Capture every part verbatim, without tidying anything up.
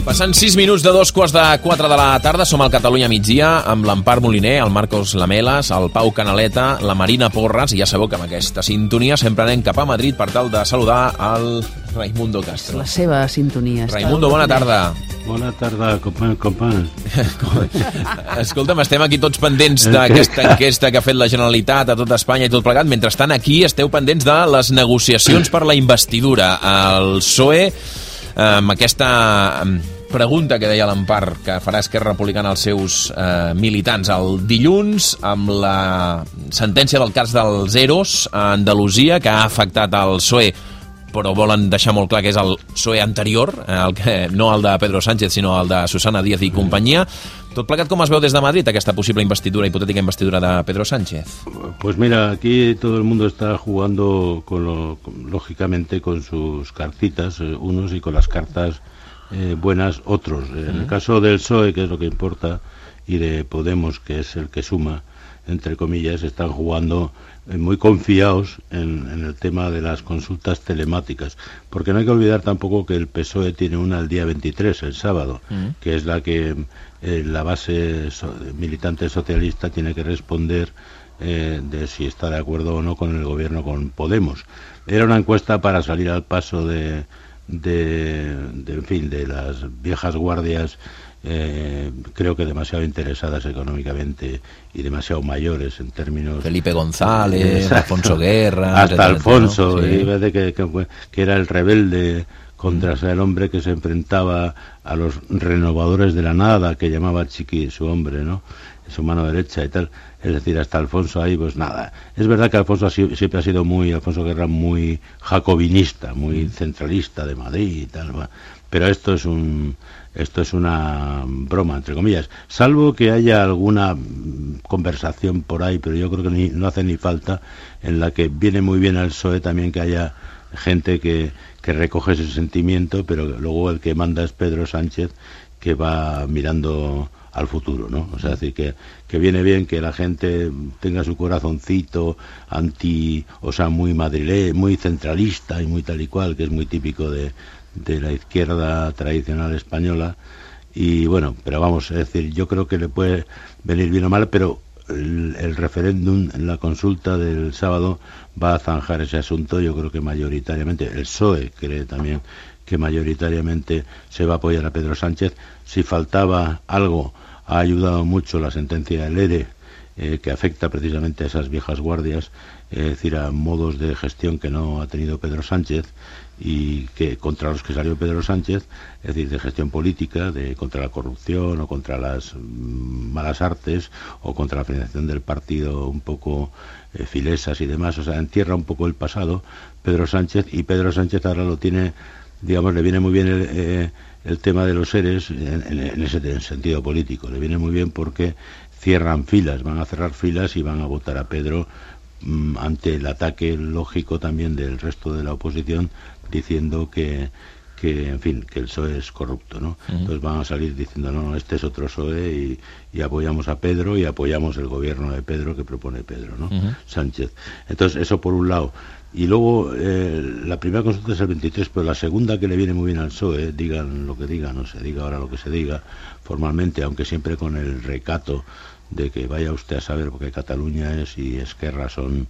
Passant sis minuts de dos quarts de quatre de la tarda, som al Catalunya migdia amb l'Empar Moliner, el Marcos Lamelas, el Pau Canaleta, la Marina Porras, i ja sabeu que amb aquesta sintonia sempre anem cap a Madrid per tal de saludar el Raimundo Castro. La seva sintonia. Raimundo, bona tarda. Bona tarda, companys, companys. Escolta'm, estem aquí tots pendents d'aquesta enquesta que ha fet la Generalitat a tot Espanya i tot plegat. Mentrestant, aquí esteu pendents de les negociacions per la investidura. El P S O E, amb aquesta pregunta que deia l'Empar, que farà Esquerra Republicana als seus eh, militants el dilluns, amb la sentència del cas dels EROs a Andalusia, que ha afectat el P S O E, però volen deixar molt clar que és el P S O E anterior, el que, no el de Pedro Sánchez, sinó el de Susana Díaz i companyia. Tot plegat, com es veu des de Madrid, aquesta possible investidura, hipotètica investidura de Pedro Sánchez? Pues mira, aquí todo el mundo está jugando, con lo, con, lógicamente, con sus cartitas, eh, unos, y con las cartas eh, buenas, otros. En uh-huh. el caso del P S O E, que es lo que importa, y de Podemos, que es el que suma, entre comillas, están jugando eh, muy confiados en, en el tema de las consultas telemáticas, porque no hay que olvidar tampoco que el P S O E tiene una el día veintitrés, el sábado, uh-huh. que es la que eh, la base so, militante socialista tiene que responder eh, de si está de acuerdo o no con el gobierno, con Podemos. Era una encuesta para salir al paso de, de, de en fin, de las viejas guardias, Eh, creo que demasiado interesadas económicamente y demasiado mayores en términos... Felipe González, eh, Alfonso Guerra... Hasta etcétera, Alfonso, ¿no? Sí. Y que, que, que era el rebelde contra mm. el hombre que se enfrentaba a los renovadores de la nada, que llamaba Chiqui su hombre, ¿no? Su mano derecha y tal. Es decir, hasta Alfonso ahí, pues nada. Es verdad que Alfonso ha sido, siempre ha sido muy, Alfonso Guerra, muy jacobinista, muy mm. centralista de Madrid y tal, pero esto es un... Esto es una broma, entre comillas, salvo que haya alguna conversación por ahí, pero yo creo que ni, no hace ni falta, en la que viene muy bien al P S O E también que haya gente que, que recoge ese sentimiento, pero luego el que manda es Pedro Sánchez, que va mirando al futuro, ¿no? O sea, es decir, que, que viene bien que la gente tenga su corazoncito anti, o sea, muy madrilé, muy centralista y muy tal y cual, que es muy típico de... de la izquierda tradicional española, y bueno, pero vamos, es decir, yo creo que le puede venir bien o mal, pero el, el referéndum, la consulta del sábado va a zanjar ese asunto. Yo creo que mayoritariamente, el P S O E cree también que mayoritariamente se va a apoyar a Pedro Sánchez. Si faltaba algo, ha ayudado mucho la sentencia del ERE, eh, que afecta precisamente a esas viejas guardias, es decir, a modos de gestión que no ha tenido Pedro Sánchez y que contra los que salió Pedro Sánchez, es decir, de gestión política, de contra la corrupción o contra las mm, malas artes o contra la financiación del partido un poco eh, filesas y demás. O sea, entierra un poco el pasado Pedro Sánchez, y Pedro Sánchez ahora lo tiene, digamos, le viene muy bien el, eh, el tema de los seres en, en, en ese en sentido político, le viene muy bien porque cierran filas, van a cerrar filas y van a votar a Pedro mm, ante el ataque lógico también del resto de la oposición, diciendo que, que en fin, que el P S O E es corrupto, ¿no? Uh-huh. Entonces van a salir diciendo, no, no, este es otro P S O E, y, y apoyamos a Pedro y apoyamos el gobierno de Pedro que propone Pedro, ¿no? Uh-huh. Sánchez. Entonces, eso por un lado. Y luego, eh, la primera consulta es el veintitrés, pero la segunda, que le viene muy bien al P S O E, digan lo que digan, no se diga ahora lo que se diga formalmente, aunque siempre con el recato de que vaya usted a saber, porque Cataluña es y Esquerra son,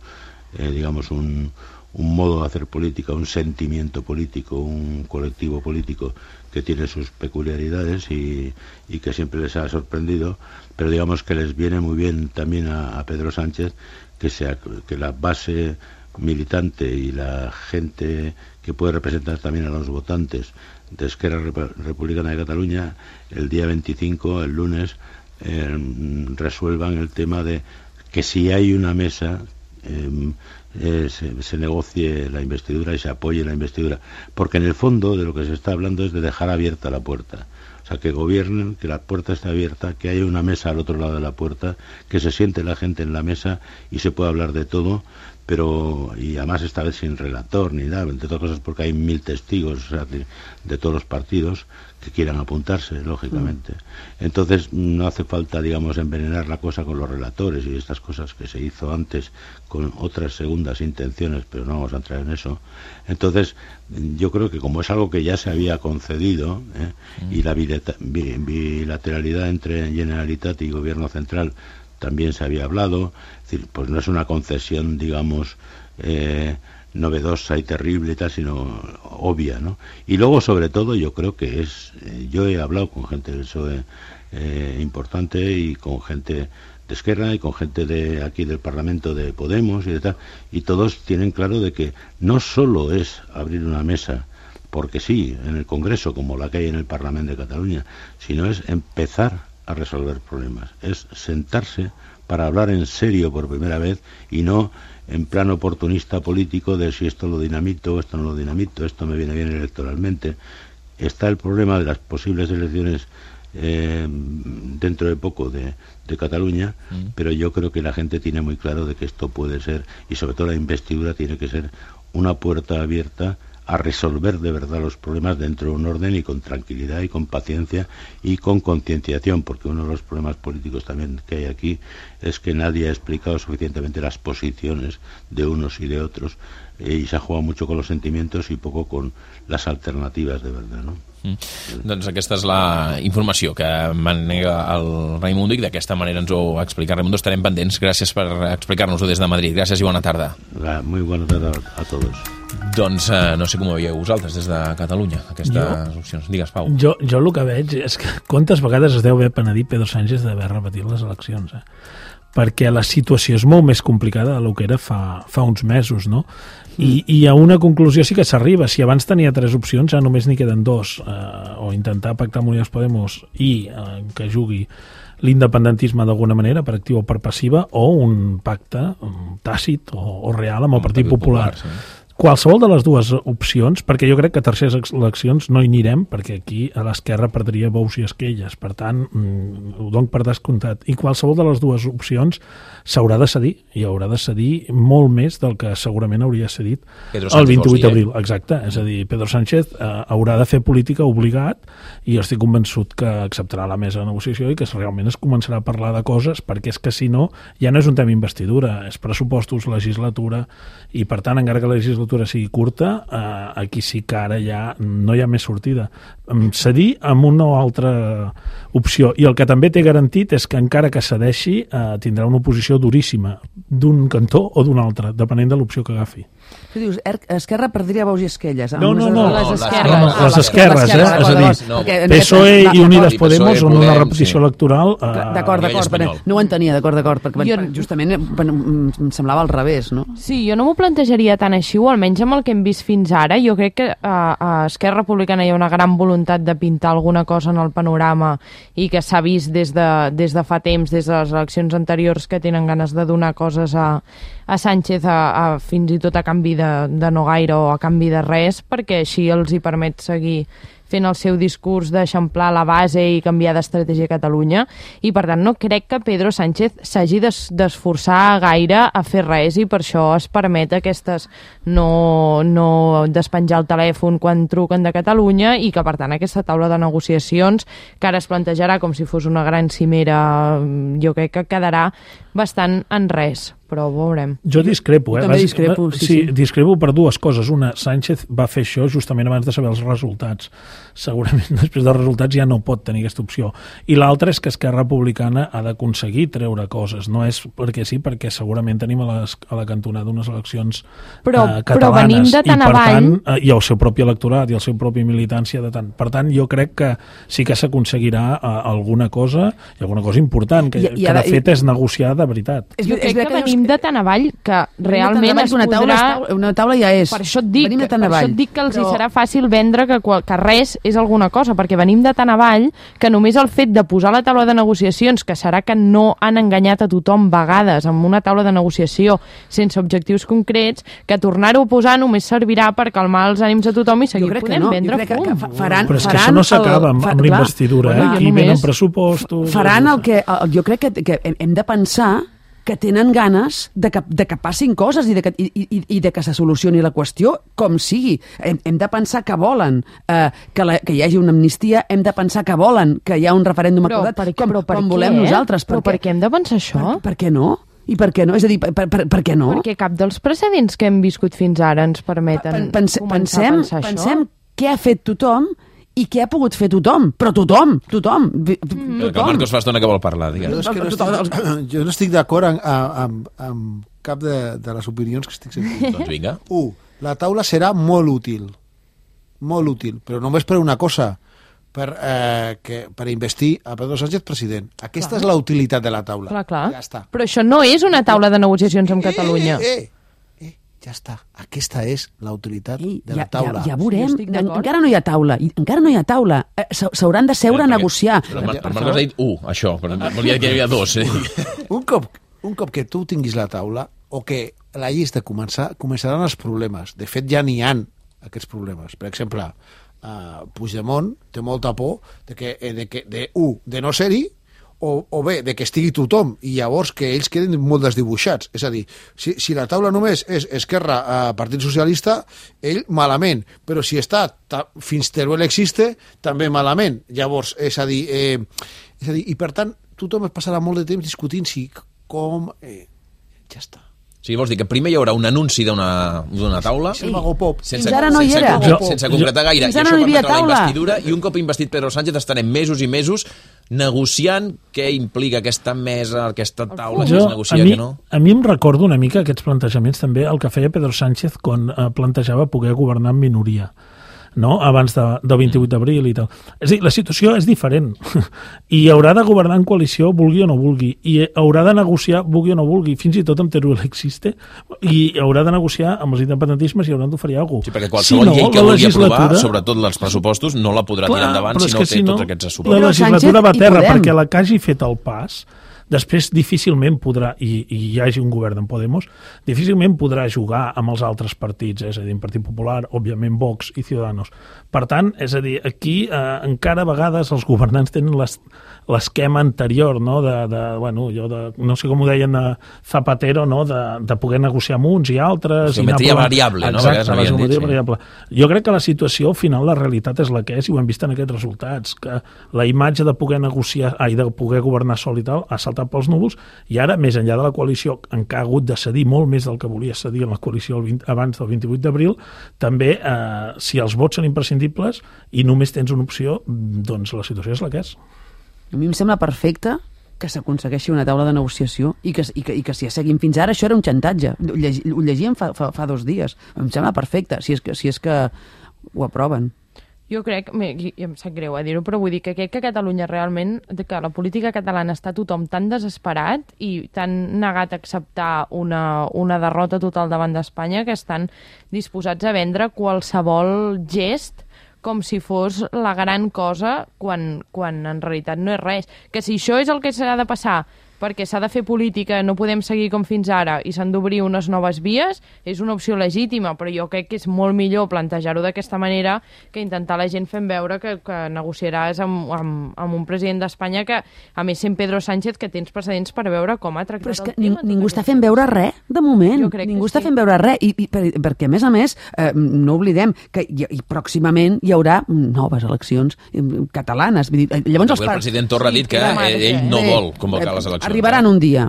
eh, digamos, un... un modo de hacer política, un sentimiento político, un colectivo político que tiene sus peculiaridades y, y que siempre les ha sorprendido, pero digamos que les viene muy bien también a, a Pedro Sánchez que, sea, que la base militante y la gente que puede representar también a los votantes de Esquerra Republicana de Cataluña, el día veinticinco, el lunes, eh, resuelvan el tema de que si hay una mesa... Eh, Eh, se, se negocie la investidura y se apoye la investidura, porque en el fondo de lo que se está hablando es de dejar abierta la puerta, o sea, que gobiernen, que la puerta esté abierta, que haya una mesa al otro lado de la puerta, que se siente la gente en la mesa y se pueda hablar de todo, pero y además esta vez sin relator ni nada, entre otras cosas porque hay mil testigos, o sea, de, de todos los partidos que quieran apuntarse, lógicamente. Mm. Entonces no hace falta, digamos, envenenar la cosa con los relatores y estas cosas que se hizo antes con otras segundas intenciones, pero no vamos a entrar en eso. Entonces yo creo que como es algo que ya se había concedido, ¿eh? mm. y la bilateralidad entre Generalitat y Gobierno Central también se había hablado, es decir, pues no es una concesión, digamos, eh, novedosa y terrible y tal, sino obvia, ¿no? Y luego, sobre todo, yo creo que es, eh, yo he hablado con gente del P S O E eh, importante y con gente de Esquerra y con gente de aquí del Parlamento de Podemos y de tal, y todos tienen claro de que no solo es abrir una mesa porque sí, en el Congreso, como la que hay en el Parlamento de Cataluña, sino es empezar a resolver problemas, es sentarse para hablar en serio por primera vez y no en plan oportunista político de si esto lo dinamito, esto no lo dinamito, esto me viene bien electoralmente. Está el problema de las posibles elecciones eh, dentro de poco de, de Cataluña, mm. pero yo creo que la gente tiene muy claro de que esto puede ser, y sobre todo la investidura tiene que ser una puerta abierta a resolver de verdad los problemas dentro de un orden y con tranquilidad y con paciencia y con concienciación, porque uno de los problemas políticos también que hay aquí es que nadie ha explicado suficientemente las posiciones de unos y de otros, eh, y se ha jugado mucho con los sentimientos y poco con las alternativas de verdad, ¿no? Mm. Doncs aquesta és la informació que manega el Raimundo i d'aquesta manera ens ho explica. Raimundo, estarem pendents. Gràcies per explicar-nos-ho des de Madrid. Gràcies i bona tarda. Muy bona tarda a tots. Doncs eh, no sé com ho veieu vosaltres des de Catalunya, aquestes jo, opcions. Digues, Pau. Jo, jo el que veig és que quantes vegades es deu haver penedit Pedro Sánchez d'haver repetit les eleccions, eh? Perquè la situació és molt més complicada del que era fa, fa uns mesos, no? I, i a una conclusió sí que s'arriba. Si abans tenia tres opcions, ja només n'hi queden dos, eh, o intentar pactar amb Unidas Podemos i eh, que jugui l'independentisme d'alguna manera, per activa o per passiva, o un pacte um, tàcit o, o real amb el Partit Popular. Popular sí. Qualsevol de les dues opcions, perquè jo crec que a terceres eleccions no hi anirem, perquè aquí a l'esquerra perdria bous i esquelles, per tant, mmm, ho dono per descomptat. I qualsevol de les dues opcions s'haurà de cedir, i haurà de cedir molt més del que segurament hauria cedit el vint-i-vuit d'abril. Eh? Exacte, és a dir, Pedro Sánchez eh, haurà de fer política obligat, i jo estic convençut que acceptarà la mesa de negociació i que realment es començarà a parlar de coses, perquè és que si no, ja no és un tema investidura, és pressupostos, legislatura, i per tant, encara que la legislatura sigui curta, eh, aquí sí que ara ja no hi ha més sortida. Cedir amb una o altra opció. I el que també té garantit és que encara que cedeixi eh, tindrà una oposició duríssima d'un cantó o d'un altre, depenent de l'opció que agafi. Tu dius, Esquerra perdria bous i esquelles. No, no, no. Les esquerres, no, no, les esquerres, eh? És a dir, P S O E i Unidas Podemos són una repetició electoral. D'acord, d'acord, no ho entenia, d'acord, d'acord, perquè justament em semblava al revés, no? Sí, jo no m'ho plantejaria tan així, o almenys amb el que hem vist fins ara. Jo crec que a Esquerra Republicana hi ha una gran voluntat de pintar alguna cosa en el panorama i que s'ha vist des de, des de fa temps, des de les eleccions anteriors, que tenen ganes de donar coses a, a Sánchez a, a, fins i tot a canvi de, de no gaire o a canvi de res, perquè així els hi permet seguir fent el seu discurs d'eixamplar la base i canviar d'estratègia a Catalunya, i per tant no crec que Pedro Sánchez s'hagi d'esforçar gaire a fer res, i per això es permet aquestes no, no despenjar el telèfon quan truquen de Catalunya, i que per tant aquesta taula de negociacions, que ara es plantejarà com si fos una gran cimera, jo crec que quedarà bastant en res, però ho veurem. Jo discrepo, eh? També discrepo, sí, sí, sí. Discrepo per dues coses. Una, Sánchez va fer això justament abans de saber els resultats. Segurament després dels resultats ja no pot tenir aquesta opció. I l'altra és que Esquerra Republicana ha d'aconseguir treure coses. No és perquè sí, perquè segurament tenim a, les, a la cantonada unes eleccions però, eh, catalanes. Però venim de tan i per avall... tant, eh, i el seu propi electorat i el seu propi militància de tant. Per tant, jo crec que sí que s'aconseguirà eh, alguna cosa, i alguna cosa important, que, I, i ara, que de fet i... és negociar de veritat. Jo crec que, que venim de tan avall que realment es una podrà... Taula, una taula ja és. Per això et dic, venim de tan per avall. això et dic que els però... hi serà fàcil vendre que, que res és alguna cosa, perquè venim de tan avall que només el fet de posar la taula de negociacions, que serà que no han enganyat a tothom vegades amb una taula de negociació sense objectius concrets, que tornar-ho a posar només servirà per calmar els ànims a tothom i seguir podent no. vendre fum. Que, que faran, però és que faran això no s'acaba amb, amb la investidura, eh? Aquí venen pressupostos... Faran el que... Jo crec que, que hem de pensar que tenen ganes de que, de que passin coses i de que, i, i, i de que se solucioni la qüestió com sigui. Hem, hem de pensar que volen eh, que, la, que hi hagi una amnistia, hem de pensar que volen que hi ha un referèndum però, acordat, per, com, però per com què? volem nosaltres. Però per què hem de pensar això? Per, per què no? I per què no? És a dir, per, per, per què no? Perquè cap dels precedents que hem viscut fins ara ens permeten Pense, començar pensem, a pensar pensem això. Què ha fet tothom i què ha pogut fer tothom. Però tothom, tothom. Mm. Que el Marcos fa estona que vol parlar, digues. Jo, no estic, jo no estic d'acord amb, amb, amb cap de, de les opinions que estic sentint. Doncs vinga. Un, la taula serà molt útil. Molt útil, però només per una cosa, per, eh, que, per investir a Pedro Sánchez president. Aquesta clar. És la utilitat de la taula. Clar, clar. Ja està. Però això no és una taula de negociacions amb Catalunya. Eh, eh, eh, ja està. Aquesta és la utilitat Ei, de la ja, taula. Ja, ja veurem. En, encara no hi ha taula. Encara no hi ha taula. S'hauran de seure a negociar. Però el Marcos ha dit un, això. Però volia dir que hi havia dos. Eh? Un cop, un cop que tu tinguis la taula, o que la llista començar, començaran els problemes. De fet, ja n'hi han aquests problemes. Per exemple, uh, Puigdemont té molta por de que, de, que, de, un, de no ser-hi, o, o bé, de que estigui tothom, i llavors que ells queden molt desdibuixats. És a dir, si, si la taula només és Esquerra, uh, Partit Socialista, ell malament, però si està ta, fins Teruel existe, també malament. Llavors, és a dir, eh, és a dir, i per tant, tothom es passarà molt de temps discutint si com... Eh, ja està. O sigui, vols dir que primer hi haurà un anunci d'una taula sí. Pop. sense, Fins ara no hi era. sense, sense concretar gaire, i Fins això no permetrà la taula. investidura, i un cop investit Pedro Sánchez estarem mesos i mesos negociant què implica aquesta mesa, aquesta taula, jo, que es negocia, a mi, que no. A mi em recordo una mica aquests plantejaments també el que feia Pedro Sánchez quan eh, plantejava poder governar en minoria, no? Abans de, del vint-i-vuit d'abril i tal. És a dir, la situació és diferent i haurà de governar en coalició vulgui o no vulgui, i haurà de negociar vulgui o no vulgui, fins i tot amb Teruel existe, i haurà de negociar amb els independentismes i hauran d'oferir alguna cosa. Sí, perquè qualsevol si no, llei que vulgui aprovar, sobretot els pressupostos, no la podrà clar, tirar endavant si no té si no, tots aquests assumptes. La legislatura va a terra perquè la que hagi fet el pas després difícilment podrà, i, i hi hagi un govern en Podemos, difícilment podrà jugar amb els altres partits, és a dir, en Partit Popular, òbviament Vox i Ciudadanos. Per tant, és a dir, aquí eh, encara a vegades els governants tenen l'esquema anterior, no? De, de, bueno, jo de, no sé com ho deien de Zapatero, no? de, de poder negociar amb uns i altres. Geometria variable, no? Exacte, la geometria variable. Jo crec que la situació, al final, la realitat és la que és, i ho hem vist en aquests resultats, que la imatge de poder negociar, ai, de poder governar sol i tal, ha saltat pels núvols, i ara, més enllà de la coalició, en què ha hagut de cedir molt més del que volia cedir en la coalició el vint, abans del vint-i-vuit d'abril, també, eh, si els vots són imprescindibles i només tens una opció, doncs la situació és la que és. A mi em sembla perfecte que s'aconsegueixi una taula de negociació i que, i que, i que si seguim fins ara, això era un xantatge. Ho, llegi, ho llegíem fa, fa, fa dos dies. Em sembla perfecte, si és que, si és que ho aproven. Jo crec, i em sap greu a dir-ho, però vull dir que crec que Catalunya realment, que la política catalana està tothom tan desesperat i tan negat a acceptar una, una derrota total davant d'Espanya que estan disposats a vendre qualsevol gest com si fos la gran cosa quan, quan en realitat no és res. Que si això és el que s'ha de passar perquè s'ha de fer política, no podem seguir com fins ara i s'han d'obrir unes noves vies, és una opció legítima, però jo crec que és molt millor plantejar-ho d'aquesta manera que intentar la gent fent veure que, que negociaràs amb, amb, amb un president d'Espanya que, a més, sent Pedro Sánchez, que tens precedents per veure com ha tractat però és que el tema. Ningú està fent veure res, de moment. Ningú està sí. fent veure res. I, i, per, perquè, a més a més, eh, no oblidem que i, i pròximament hi haurà noves eleccions catalanes. Vull dir, llavors el, el president Torra ha dit que sí, ell no vol convocar les eleccions. Arribaran un dia,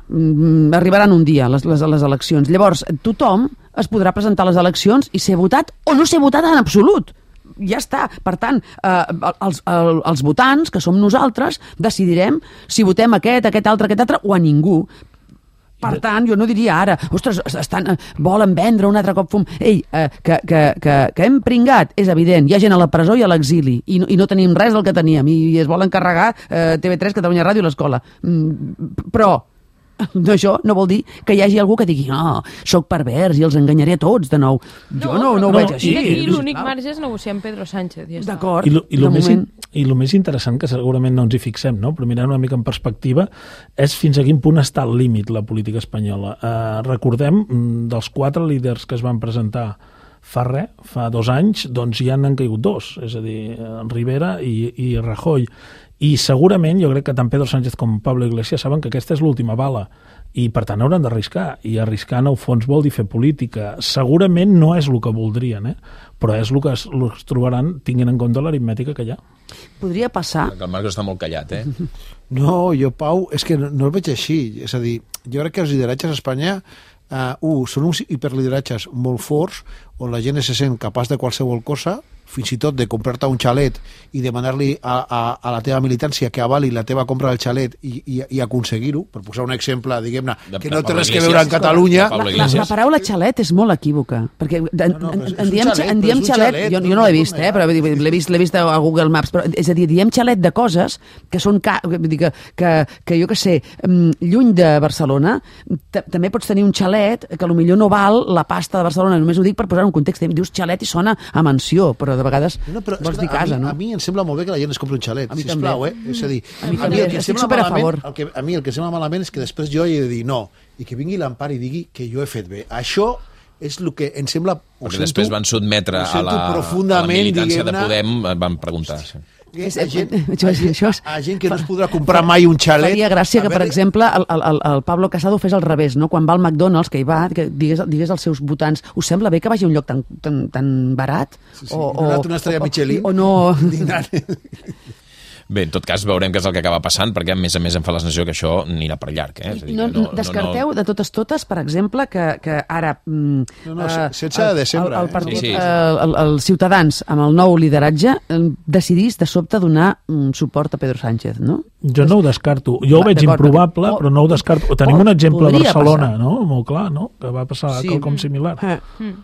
arribaran un dia les, les, les eleccions. Llavors, tothom es podrà presentar a les eleccions i ser votat o no ser votat en absolut. Ja està. Per tant, eh, els, els, els votants, que som nosaltres, decidirem si votem aquest, aquest altre, aquest altre, o a ningú. Per tant, jo no diria ara, ostres, estan, volen vendre un altre cop fum. Ei, eh, que, que, que, que hem pringat, és evident, hi ha gent a la presó i a l'exili, i, no, i no tenim res del que teníem, i, i es volen carregar eh, T V tres, Catalunya Ràdio i l'Escola. Mm, però això no vol dir que hi hagi algú que digui no, soc pervers i els enganyaré a tots de nou. Jo no, no, no ho veig així. I aquí l'únic marge és negociar amb Pedro Sánchez. Ja d'acord. I, lo, i, lo més, I el més interessant, que segurament no ens hi fixem, no? Però mirant una mica en perspectiva, és fins a quin punt està al límit la política espanyola. Eh, recordem, dels quatre líders que es van presentar fa res, fa dos anys, doncs ja n'han caigut dos, és a dir, Rivera i, i Rajoy. I segurament jo crec que tant Pedro Sánchez com Pablo Iglesias saben que aquesta és l'última bala i per tant hauran d'arriscar, i arriscar en el fons vol dir fer política. Segurament no és el que voldrien, eh? Però és el que es, el que es trobaran tinguent en compte l'aritmètica que hi ha. Podria passar... El Marcos està molt callat, eh? No, jo, Pau, és que no, no el veig així. És a dir, jo crec que els lideratges a Espanya uh, uh, són uns hiperlideratges molt forts on la gent se sent capaç de qualsevol cosa, fins i tot de comprar-te un xalet i demanar-li a, a, a la teva militància que avali la teva compra del xalet i, i, i aconseguir-ho, per posar un exemple, diguem-ne, que no té res que veure en Catalunya. La, la, la paraula xalet és molt equívoca, perquè en, no, no, en, en diem, xalet, en diem xalet, xalet, jo, jo no l'he vist, eh, però l'he vist, l'he vist a Google Maps, però, és a dir, diem xalet de coses que són, ca, que, que, que jo que sé, lluny de Barcelona, també pots tenir un xalet que potser no val la pasta de Barcelona, només ho dic per posar un context, dius xalet i sona a mansió, però de vegades no, però, vols dir casa, a mi, no? A mi em sembla molt bé que la gent es compri un xalet, sisplau, eh? És a dir, a mi, a mi, a mi estic super a favor. El que, a mi el que sembla malament és que després jo he de dir no, i que vingui l'Empar i digui que jo he fet bé. Això és el que em sembla... Perquè sento, després van sotmetre a la, a la militància de Podem, van preguntar. Sí. A gent, això és, a gent que no es podrà comprar mai un xalet. Faria gràcia que, per exemple, el, el, el Pablo Casado fes al revés, no? Quan va al McDonald's, que hi va, que digués, digués als seus votants, us sembla bé que vagi a un lloc tan, tan, tan barat? Sí, sí. O, o, una estrella Michelin. O, o no... Bé, en tot cas, veurem què és el que acaba passant, perquè, a més a més, em fa la sensació que això anirà per llarg. Eh? És a dir, no, no, descarteu no, no... de totes totes, per exemple, que, que ara... Mm, no, no, uh, setze de desembre. El, el, partit, eh? sí, sí. Uh, el, el Ciutadans, amb el nou lideratge, decidís de sobte donar um, suport a Pedro Sánchez, no? Jo no ho descarto. Jo ho veig improbable, però no ho descarto. Tenim un exemple a Barcelona, passar. no? Molt clar, no? Que va passar sí. quelcom similar. Eh. Mm.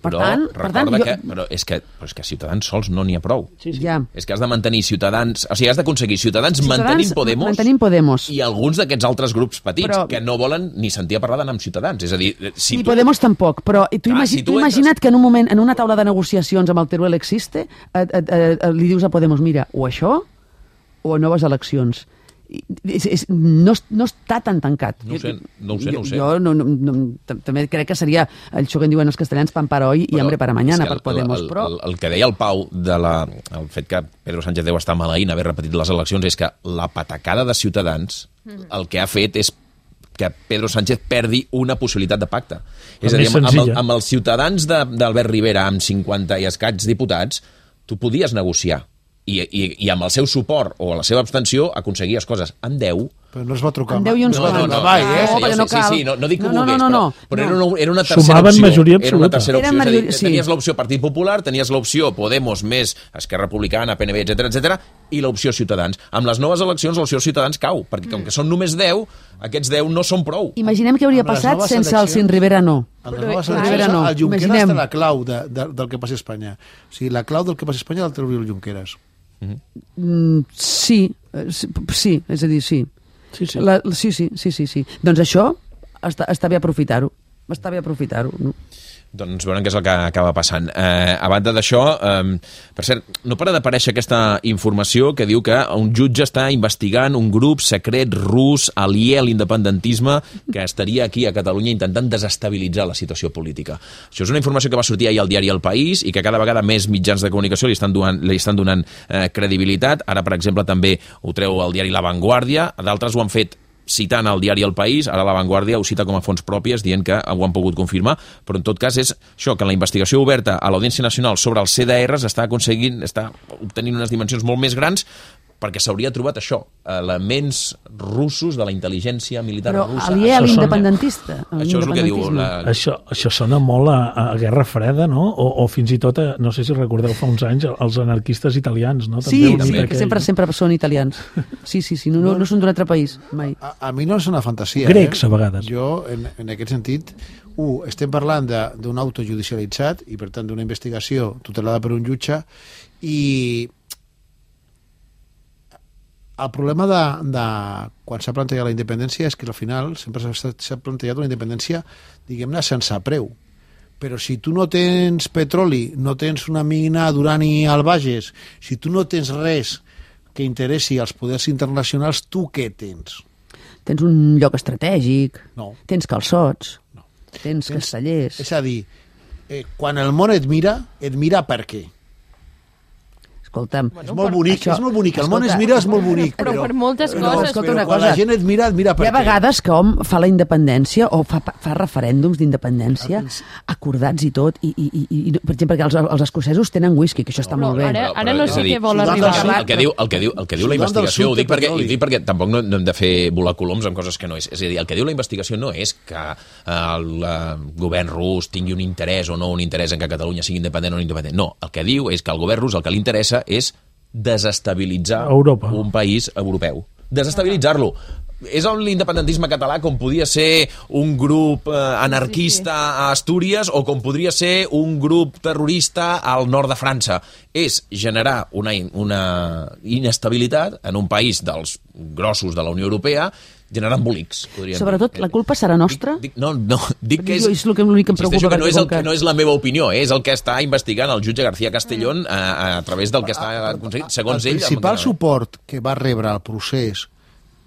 Per però tant, per tant, jo... que, però és que, però és que Ciutadans sols no n'hi ha prou. Sí, sí. Ja. És que has de mantenir Ciutadans... O sigui, has d'aconseguir Ciutadans, Ciutadans mantenint Podemos, mantenint Podemos i alguns d'aquests altres grups petits però... que no volen ni sentir a parlar d'anar amb Ciutadans. És a dir, si ni tu... Podemos tampoc, però tu, Clar, imagi... si tu, tu imagina't entres... que en un moment, en una taula de negociacions amb el Teruel Existe, et, et, et, et, li dius a Podemos, mira, o això o noves eleccions. És, és, no, no està tan tancat. No ho sé, no ho sé. Jo, no ho sé. jo no, no, no, també crec que seria això que en diuen els castellans, pan para hoy i hambre para mañana, per Podemos. El, però... el, el que deia el Pau de la, el fet que Pedro Sánchez deu estar maleint haver repetit les eleccions és que la patacada de Ciutadans el que ha fet és que Pedro Sánchez perdi una possibilitat de pacte. És a dir, amb, amb, el, amb els Ciutadans d'Albert Rivera, amb cinquanta i escaig diputats, tu podies negociar. I, i, i amb el seu suport o la seva abstenció aconseguies coses. Amb deu... Però no es va trucar mai. No, no, no, no, mai, eh? No, perquè no cal. Sí, sí, no, no dic que ho no, volgués, no, no, però, però no. era, una, era una tercera Sumaven opció. majoria Era una tercera absoluta. opció. Major... És a dir, sí. tenies l'opció Partit Popular, tenies l'opció Podemos més Esquerra Republicana, P N B, etcètera, etcètera, i l'opció Ciutadans. Amb les noves eleccions l'opció Ciutadans cau, perquè com que són només deu, aquests deu no són prou. Imaginem què hauria passat sense el Sin Rivera no. Amb les noves eleccions, no. El Junqueras té la clau de, de, del que passa a Espanya. O sigui, la clau del que passa a Espanya el trauria el Junqueras. Mm, sí, sí, és a dir, sí. Sí, sí. La, sí, sí, sí, sí, sí. Doncs això està, està bé aprofitar-ho. Està bé aprofitar-ho, no? Doncs veurem què és el que acaba passant. Eh, a banda d'això, eh, per cert, no para d'aparèixer aquesta informació que diu que un jutge està investigant un grup secret rus aliè a l'independentisme que estaria aquí a Catalunya intentant desestabilitzar la situació política. Això és una informació que va sortir ahir al diari El País i que cada vegada més mitjans de comunicació li estan donant, li estan donant eh, credibilitat. Ara, per exemple, també ho treu el diari La Vanguardia, d'altres ho han fet citant el diari El País, ara La Vanguardia ho cita com a fonts pròpies, dient que ho han pogut confirmar, però en tot cas és això, que la investigació oberta a l'Audiència Nacional sobre els C D Rs està aconseguint, està obtenint unes dimensions molt més grans, perquè s'hauria trobat això, elements russos de la intel·ligència militar però russa. Però aliè a l'independentista. Això és el que diu... La... Això, això sona molt a, a Guerra Freda, no? O, o fins i tot, a, no sé si recordeu fa uns anys, els anarquistes italians, no? Sí, també sí, que sempre, sempre són italians. Sí, sí, sí, no, no, no són d'un altre país, mai. A, a mi no és una fantasia. Grecs, eh? a vegades. Jo, en, en aquest sentit, uh, estem parlant d'un auto judicialitzat i, per tant, d'una investigació tutelada per un jutge i... El problema de, de quan s'ha plantejat la independència és que al final sempre s'ha plantejat una independència, diguem-ne, sense preu. Però si tu no tens petroli, no tens una mina d'urani al Bages, si tu no tens res que interessi als poders internacionals, tu què tens? Tens un lloc estratègic, no. Tens calçots, no. tens, tens castellers... És a dir, eh, quan el món et mira, et mira per què? escolta'm... És molt bonic, això, és molt bonic. El món es mira, és molt bonic. Però, però per moltes no, coses. Però una quan cosa, la gent et mira, et mira per hi ha què. vegades que hom fa la independència o fa, fa referèndums d'independència acordats i tot, i, i, i, i per exemple, perquè els, els escocesos tenen whisky, que això està Però molt bé. ara, ara Però, no és sé a dir, què vol sudant arribar. del El que diu, el que diu, el que diu la Sudant del investigació, ho sud dic, de perquè, petroli. ho dic perquè tampoc no, no hem de fer volar coloms amb coses que no és. És a dir, el que diu la investigació no és que el eh, govern rus tingui un interès o no un interès en que Catalunya sigui independent o no independent. No, el que diu és que al govern rus el que li interessa és desestabilitzar Europa. un país europeu. Desestabilitzar-lo. És l'independentisme català com podia ser un grup eh, anarquista a Astúries o com podria ser un grup terrorista al nord de França. És generar una, una inestabilitat en un país dels grossos de la Unió Europea generant embolics. Sobretot, la culpa serà nostra? Dic, no, no, dic que és... Jo, és el que, l'únic que em preocupa. Que no, és el, que... que no és la meva opinió, eh? És el que està investigant el jutge García Castellón a, a través del que està aconseguint, segons ell... El principal suport que va rebre el procés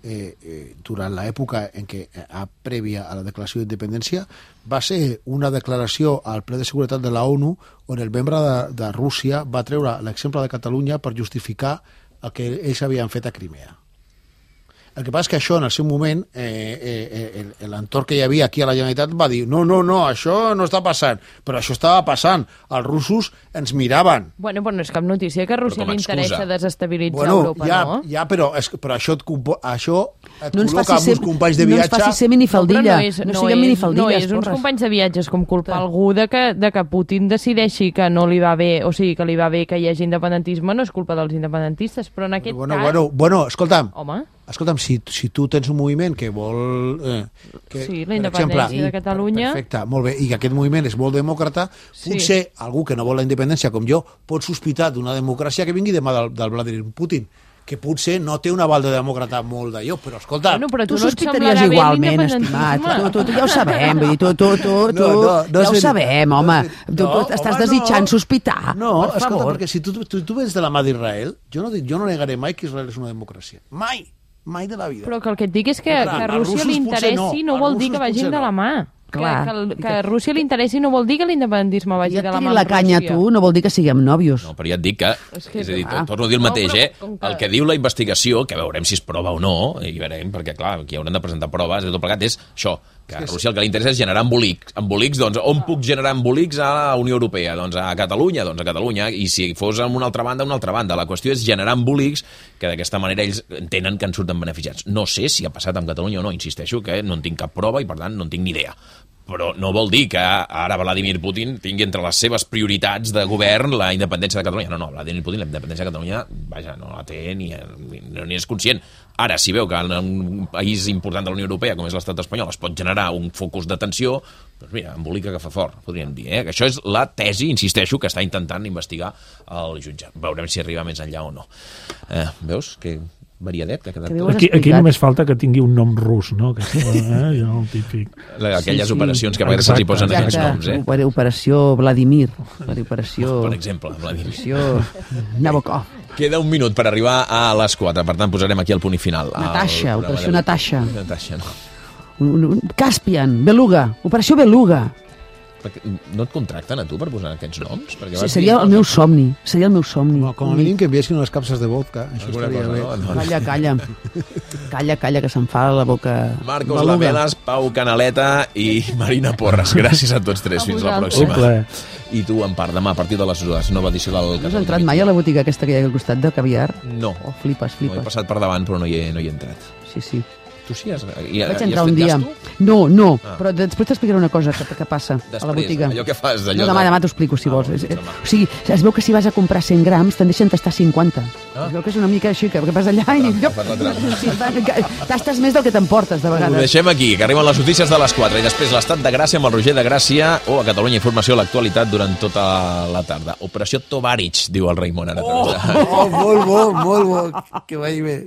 eh, eh, durant l'època en què eh, prèvia a la declaració d'independència va ser una declaració al ple de seguretat de la ONU on el membre de, de Rússia va treure l'exemple de Catalunya per justificar el que ells havien fet a Crimea. El que passa és que això, en el seu moment, eh, eh, eh, l'entorn que hi havia aquí a la Generalitat va dir no, no, no, això no està passant. Però això estava passant. Els russos ens miraven. Bueno, però no és cap notícia que a Rússia li interessa desestabilitzar bueno, Europa, ja, no? Ja, però, és, però això et, compo, això et no ens col·loca amb uns companys de viatge... No ens faci ser minifaldilla. No, no, és, no, no, siguem és, minifaldilles. no és uns companys de viatges com culpar algú de que, de que Putin decideixi que no li va bé, o sigui, que li va bé que hi hagi independentisme, no és culpa dels independentistes, però en aquest bueno, cas... Bueno, bueno, escolta'm, Home. escolta'm, si, si tu tens un moviment que vol... Eh, que, Sí, la per independència exemple, de Catalunya. Perfecte, molt bé, i que aquest moviment és molt demòcrata, Sí. potser algú que no vol la independència com jo pot sospitar d'una democràcia que vingui demà del, del Vladimir Putin, que potser no té un aval de demòcrata molt d'allò, però escolta... Bueno, però Tu tu no et sospitaries semblarà bé igualment, estimat. l'independentisme. Tu, tu, tu ja ho sabem, vull dir, tu, tu, tu, tu No, no, no ja ho és- sabem, home. no és- Tu, tu no, estàs home, desitjant no. sospitar, No, per escolta, favor. perquè si tu, tu, tu vens de la mà d'Israel, jo, no, dic- jo no negaré mai que Israel és una democràcia. Mai, mai de la vida. Però que el que et dic és que, Clar, que a als Rússia russos li potser interessi no, no, als vol dir russos que vagin potser de la no. mà. Clar. Que, que, el, que a Rússia li interessi no vol dir que l'independentisme I vagi et de la tiri mà la amb canya a Rússia. tu no vol dir que siguem nòvios. No, però ja et dic que, És que- és a dir, ah. torno a dir el No, mateix, però eh? com que- El que diu la investigació, que veurem si es prova o no, i veurem, perquè clar, aquí hauran de presentar proves, i tot plegat, és això, que a Rússia el que li interessa és generar embolics. Embolics, doncs, on puc generar embolics a la Unió Europea? Doncs a Catalunya, doncs a Catalunya, i si fos en una altra banda, una altra banda. La qüestió és generar embolics que d'aquesta manera ells entenen que en surten beneficiats. No sé si ha passat amb Catalunya o no, insisteixo que no en tinc cap prova i per tant no en tinc ni idea. Però no vol dir que ara Vladimir Putin tingui entre les seves prioritats de govern la independència de Catalunya. No, no, Vladimir Putin la independència de Catalunya, vaja, no la té ni, ni, ni és conscient. Ara, si veu que en un país important de la Unió Europea, com és l'estat espanyol, es pot generar un focus de tensió, doncs mira, embolica que fa fort, podríem dir. Eh? Que això és la tesi, insisteixo, que està intentant investigar el jutge. Veurem si arriba més enllà o no. Eh, veus? Que variadet que ha quedat Que bé ho tot. has Aquí, aquí explicat. només falta que tingui un nom rus, no? Que, eh? Jo, el típic. Aquelles Sí, sí. operacions que a vegades se'ls hi posen Exacte. aquests noms, eh? Oper- Operació Vladimir. Operació... Per exemple, Vladimir. Operació Nabokov. Queda un minut per arribar a les quatre, per tant posarem aquí el punt i final. Natasha, al programa operació d'avui. Natasha. Natasha, no. Un, un, Caspian, Beluga. Operació Beluga. Perquè no et contracten a tu per posar aquests noms? Perquè Sí, vas seria dir- el meu somni. Seria el meu somni. No, com a mínim que enviessin unes capses de vodka, això Alguna estaria cosa, bé. no? No. Calla, calla. Calla, calla, que se'm fa la boca... Marcos Beluga. Lamelas, Pau Canaleta i Marina Porres. Gràcies a tots tres. A Fins la vosaltres. pròxima. Un plaer. I tu, en part, demà a partir de les dues, nova edició del... No has entrat mai a la botiga aquesta que hi ha al costat de caviar? No. Oh, flipes, No he flipes. passat per davant, però no hi he, no hi he entrat. Sí, sí. Tu sí has... I, Vaig i entrar has un fet dia. gasto? No, no, Ah. però després t'explicaré una cosa que, que passa Després, a la botiga. allò que fas, allò No, demà, de- demà t'ho explico, si Ah, vols. doncs És- demà. O sigui, es veu que si vas a comprar cent grams te'n deixen tastar cinquanta. Ah. Es veu que és una mica així, que, que vas allà i... Per la trampa. Sí, va- tastes més del que t'emportes, de Ho vegades. deixem aquí, que arriben les notícies de les quatre i després l'estat de Gràcia amb el Roger de Gràcia o a Catalunya Informació l'actualitat durant tota la tarda. Operació Tovarich, diu el Raimon ara. Oh, molt bo, molt bo, que vagi bé.